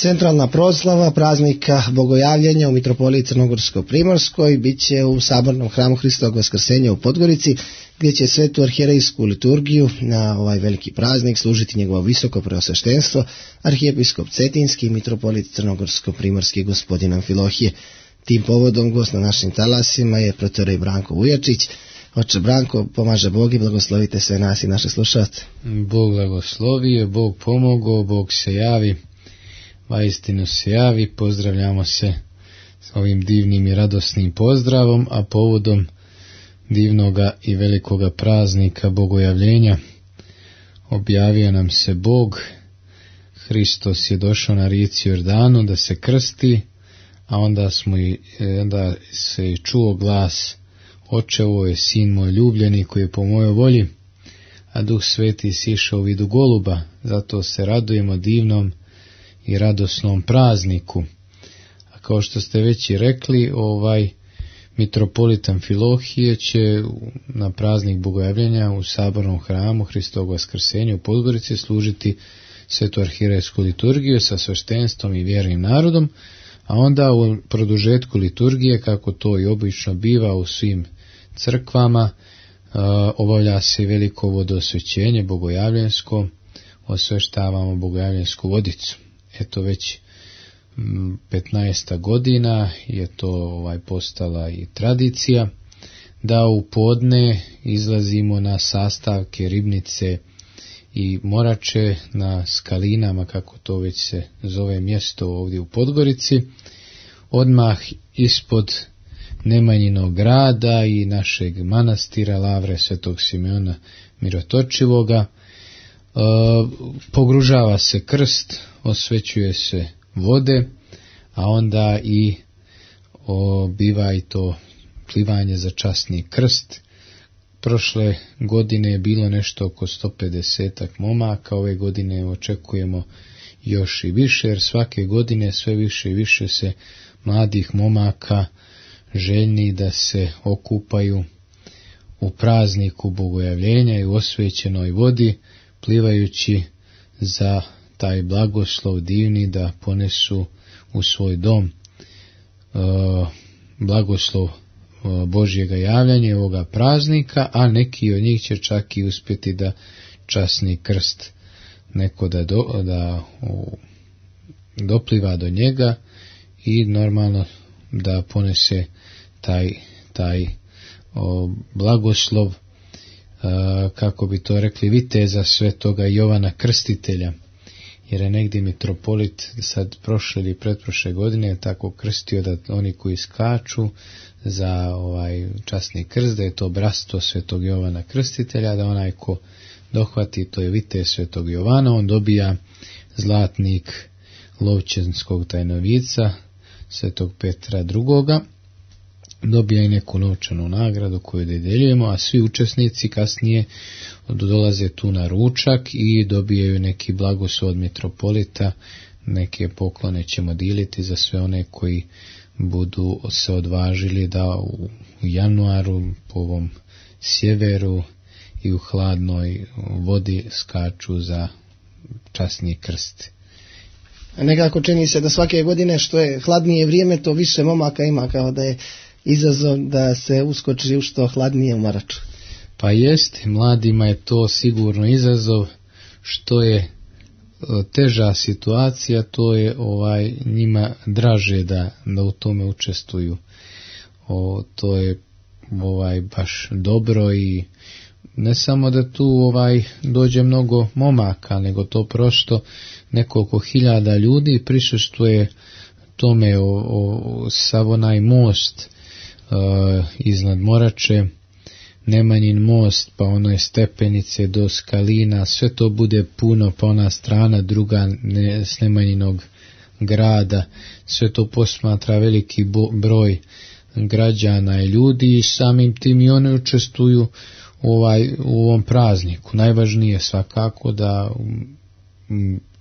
Centralna proslava praznika Bogojavljenja u Mitropoliji Crnogorsko-Primorskoj bit će u Sabornom hramu Hristovog Vaskrsenja u Podgorici, gdje će svetu arhijerejsku liturgiju na ovaj veliki praznik služiti njegovo visoko preosveštenstvo, arhijepiskop Cetinski i mitropolit Crnogorsko-Primorski gospodin Amfilohije. Tim povodom gost na našim talasima je protorej Branko Vujačić. Oče Branko, pomaže Bog i blagoslovite sve nas i naše slušalce. Bog blagoslovio, Bog pomogao, Bog se javi, vaistinu se javi. Pozdravljamo se s ovim divnim i radosnim pozdravom, a povodom divnoga i velikoga praznika Bogojavljenja objavio nam se Bog. Hristos je došao na rijeci Jordanu da se krsti, a onda se čuo glas: Oče, ovo je sin moj ljubljeni koji je po mojoj volji, a Duh Sveti sišao u vidu goluba. Zato se radujemo divnom i radosnom prazniku. A kao što ste već i rekli, mitropolit Amfilohije će na praznik Bogojavljenja u Sabornom hramu Hristovog Vaskrsenja u Podgorici služiti svetu arhijerejsku liturgiju sa sveštenstvom i vjernim narodom, a onda u produžetku liturgije, kako to i obično biva u svim crkvama, obavlja se veliko vodosvećenje bogojavljensko, osveštavamo bogojavljensku vodicu. Eto, već 15. godina je to postala i tradicija da u podne izlazimo na sastavke Ribnice i Morače na Skalinama, kako to već se zove mjesto ovdje u Podgorici, odmah ispod Nemanjinog grada i našeg manastira Lavre Svetog Simeona Mirotočivoga. Pogružava se krst, osvećuje se vode, a onda i biva i to plivanje za časni krst. Prošle godine je bilo nešto oko 150 momaka, ove godine očekujemo još i više, jer svake godine sve više i više se mladih momaka željni da se okupaju u prazniku Bogojavljenja i u osvećenoj vodi, plivajući za taj blagoslov divni da ponesu u svoj dom blagoslov Božjega javljanja ovoga praznika, a neki od njih će čak i uspjeti da časni krst neko da dopliva do njega i normalno da ponese taj blagoslov, kako bi to rekli, viteza svetoga Jovana Krstitelja, jer je negdje mitropolit sad prošle ili pretprošle godine tako krstio da oni koji skaču za časni krst, da je to bratstvo svetog Jovana Krstitelja, da onaj ko dohvati, to je vitez svetog Jovana, on dobija zlatnik Lovćenskog tajnovica svetog Petra II. Dobija i neku novčanu nagradu koju dodjeljujemo, a svi učesnici kasnije dolaze tu na ručak i dobijaju neki blagoslov od mitropolita. Neke poklone ćemo dijeliti za sve one koji budu se odvažili da u januaru po ovom sjeveru i u hladnoj vodi skaču za časni krst. Nekako čini se da svake godine što je hladnije vrijeme, to više momaka ima, kao da je izazov da se uskoči u što hladnije u Maraču. Pa jest, mladima je to sigurno izazov. Što je teža situacija, to je njima draže da u tome učestvuju. To je baš dobro i ne samo da tu dođe mnogo momaka, nego to prosto nekoliko hiljada ljudi prisustvuje tome. Sav onaj most iznad Morače, Nemanjin most, pa ono je stepenice do Skalina, sve to bude puno, pa ona strana druga s Nemanjinog grada, sve to posmatra veliki broj građana i ljudi i samim tim i oni učestvuju u ovom prazniku. Najvažnije svakako da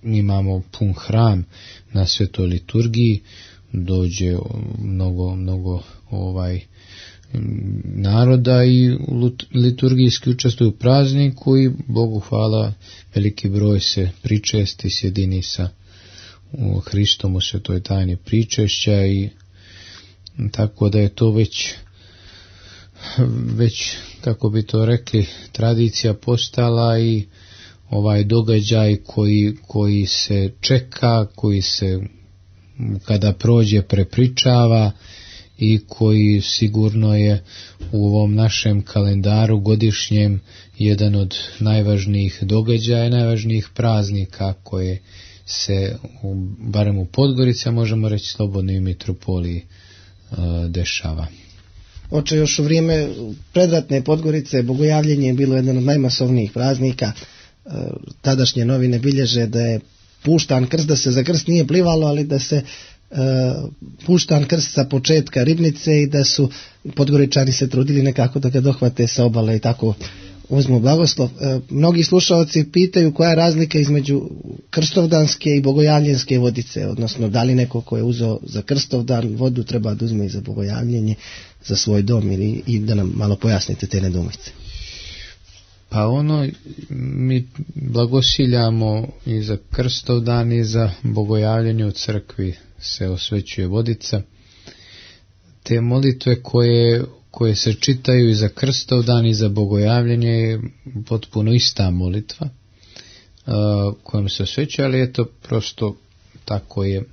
imamo pun hram na svetoj liturgiji, dođe mnogo naroda i liturgijski učestvuju u prazniku i Bogu hvala veliki broj se pričesti, sjedini sa u Hristom u svetoj tajni pričešća, i tako da je to već kako bi to rekli, tradicija postala, i ovaj događaj koji se čeka, koji se kada prođe prepričava, i koji sigurno je u ovom našem kalendaru godišnjem jedan od najvažnijih događaja, najvažnijih praznika koje se barem u Podgorici, a možemo reći slobodno i u mitropoliji dešava. Oče, još u vrijeme predratne Podgorice bogojavljenje je bilo jedan od najmasovnijih praznika. Tadašnje novine bilježe da je puštan krst, da se za krst nije plivalo, ali da se puštan krst sa početka ribnice i da su Podgoričani se trudili nekako da ga dohvate sa obale i tako uzmu blagoslov. Mnogi slušalci pitaju koja je razlika između krstovdanske i bogojavljenske vodice, odnosno da li neko ko je uzeo za krstovdan vodu treba da uzme i za bogojavljenje za svoj dom, i da nam malo pojasnite te nedoumice. Pa mi blagosiljamo i za krstovdan i za bogojavljenje u crkvi se osvećuje vodica. Te molitve koje se čitaju i za krstovdan i za bogojavljenje je potpuno ista molitva kojom se osvećuje, ali eto prosto tako je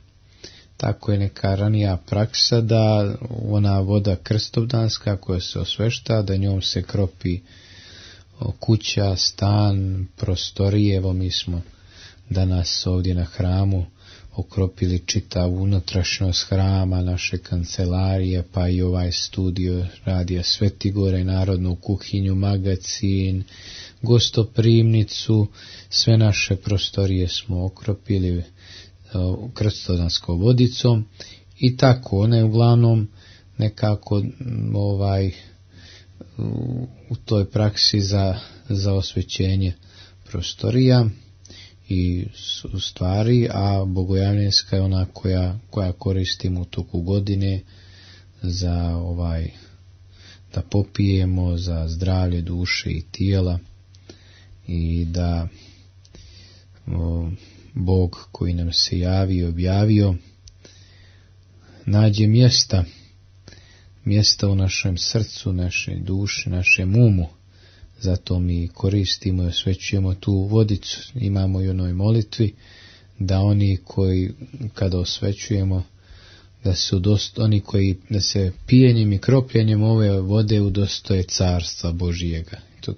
neka ranija praksa da ona voda krstovdanska koja se osvešta, da njom se kropi kuća, stan, prostorije. Evo mi smo danas ovdje na hramu okropili čitavu unutrašnjost hrama, naše kancelarije, pa i ovaj studio Radija Svetigora i narodnu kuhinju, magacin, gostoprimnicu, sve naše prostorije smo okropili krstovdanskom vodicom, i tako ona je uglavnom nekako u toj praksi za osvećenje prostorija i stvari, a bogojavljenska je ona koja koristimo u toku godine za da popijemo za zdravlje duše i tijela, i da Bog koji nam se javi i objavio nađe mjesta u našem srcu, našoj duši, našem umu. Zato mi koristimo i osvećujemo tu vodicu. Imamo i onoj molitvi da oni koji kada osvećujemo da se pijenjem i kropljenjem ove vode udostoje carstva Božijega. To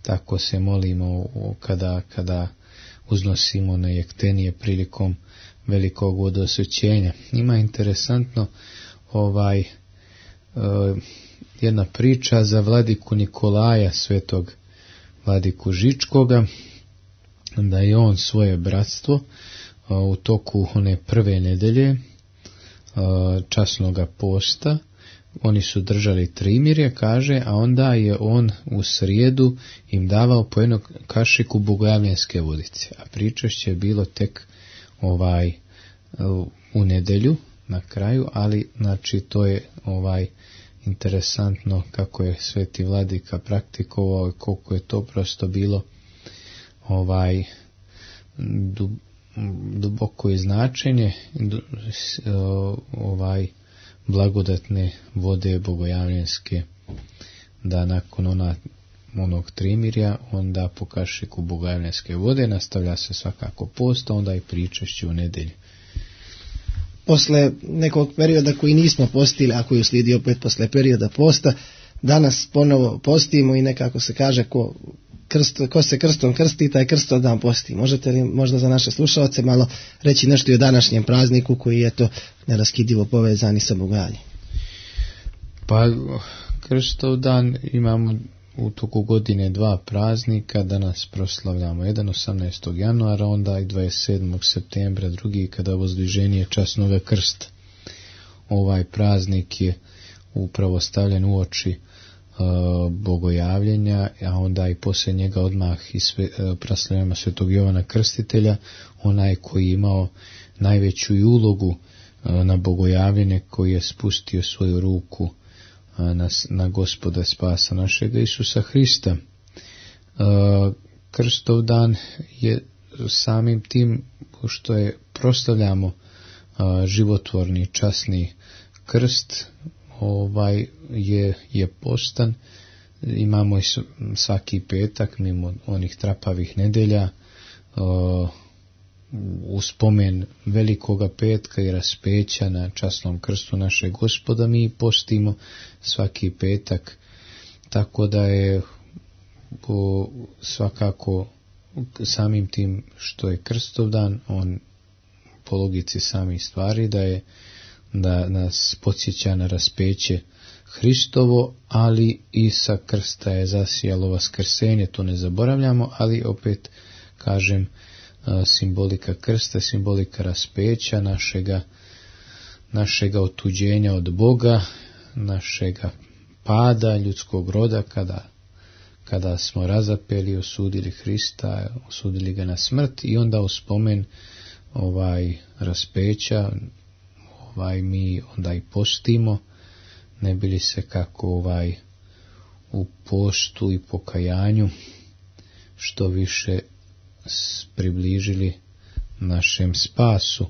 tako se molimo kada uznosimo na jektenije prilikom velikog vodosvećenja. Ima interesantno jedna priča za vladiku Nikolaja, svetog vladiku Žičkoga, da je on svoje bratstvo u toku one prve nedelje časnoga posta, oni su držali trimirje, kaže, a onda je on u srijedu im davao po jednu kašiku bogojavljenske vodice, a pričešće je bilo tek u nedelju na kraju, ali znači to je interesantno kako je sveti vladika praktikovao i koliko je to prosto bilo duboko je značenje blagodatne vode bogojavljenske, da nakon onog trimirja onda po kašiku bogojavljenske vode nastavlja se svakako post, onda i pričešće u nedelju. Posle nekog perioda koji nismo postili, a koji uslijedi opet posle perioda posta, danas ponovo postimo i nekako se kaže ko se krstom krsti, taj krstovdan posti. Možete li možda za naše slušalce malo reći nešto i o današnjem prazniku koji je to neraskidivo povezan i sa bogojavljenjem? Pa krstovdan imamo u toku godine dva praznika, danas proslavljamo jedan 18. januara, onda i 27. septembra, drugi kada vozdviženje časnoga krsta. Ovaj praznik je upravo stavljen u oči bogojavljenja, a onda i poslije njega odmah i proslavljamo svetog Jovana Krstitelja, onaj koji je imao najveću ulogu na bogojavljenje, koji je spustio svoju ruku na Gospoda spasa našega Isusa Hrista. Krstovdan je samim tim što je proslavljamo životvorni časni krst, je postan. Imamo i svaki petak mimo onih trapavih nedelja u spomen velikoga petka i raspeća na časnom krstu našeg Gospoda. Mi postimo svaki petak, tako da je svakako samim tim što je Krstovdan, on po logici samih stvari da nas podsjeća na raspeće Hristovo, ali i sa krsta je zasijalo vaskrsenje, to ne zaboravljamo, ali opet kažem, simbolika krsta, simbolika raspeća našega otuđenja od Boga, našega pada ljudskog roda, kada smo razapeli, osudili Hrista, osudili ga na smrt, i onda u spomen raspeća mi onda i postimo, ne bili se kako u postu i pokajanju što više približili našem spasu.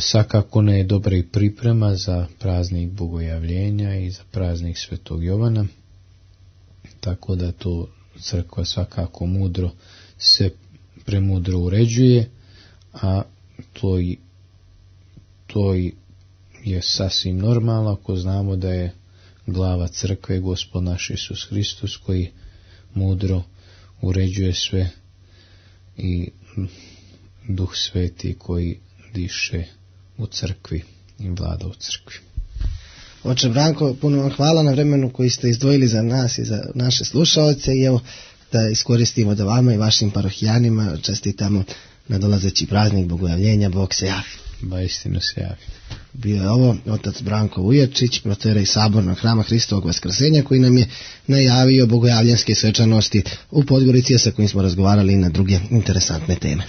Svakako ne je dobra i priprema za praznik Bogojavljenja i za praznik Svetog Jovana, tako da to crkva svakako premudro uređuje, a to je sasvim normalno ako znamo da je glava crkve Gospod naš Isus Hristos, koji mudro uređuje sve, i Duh Sveti koji diše u crkvi i vlada u crkvi. Oče Branko, puno vam hvala na vremenu koji ste izdvojili za nas i za naše slušaoce, i evo da iskoristimo da vama i vašim parohijanima čestitamo nadolazeći praznik Bogojavljenja. Bog se javi. Ba istinu se javi. Bio je ovo otac Branko Ujerčić, protoijerej Sabornog hrama Hristovog Vaskrsenja, koji nam je najavio bogojavljanske svečanosti u Podgorici, sa kojim smo razgovarali na druge interesantne teme.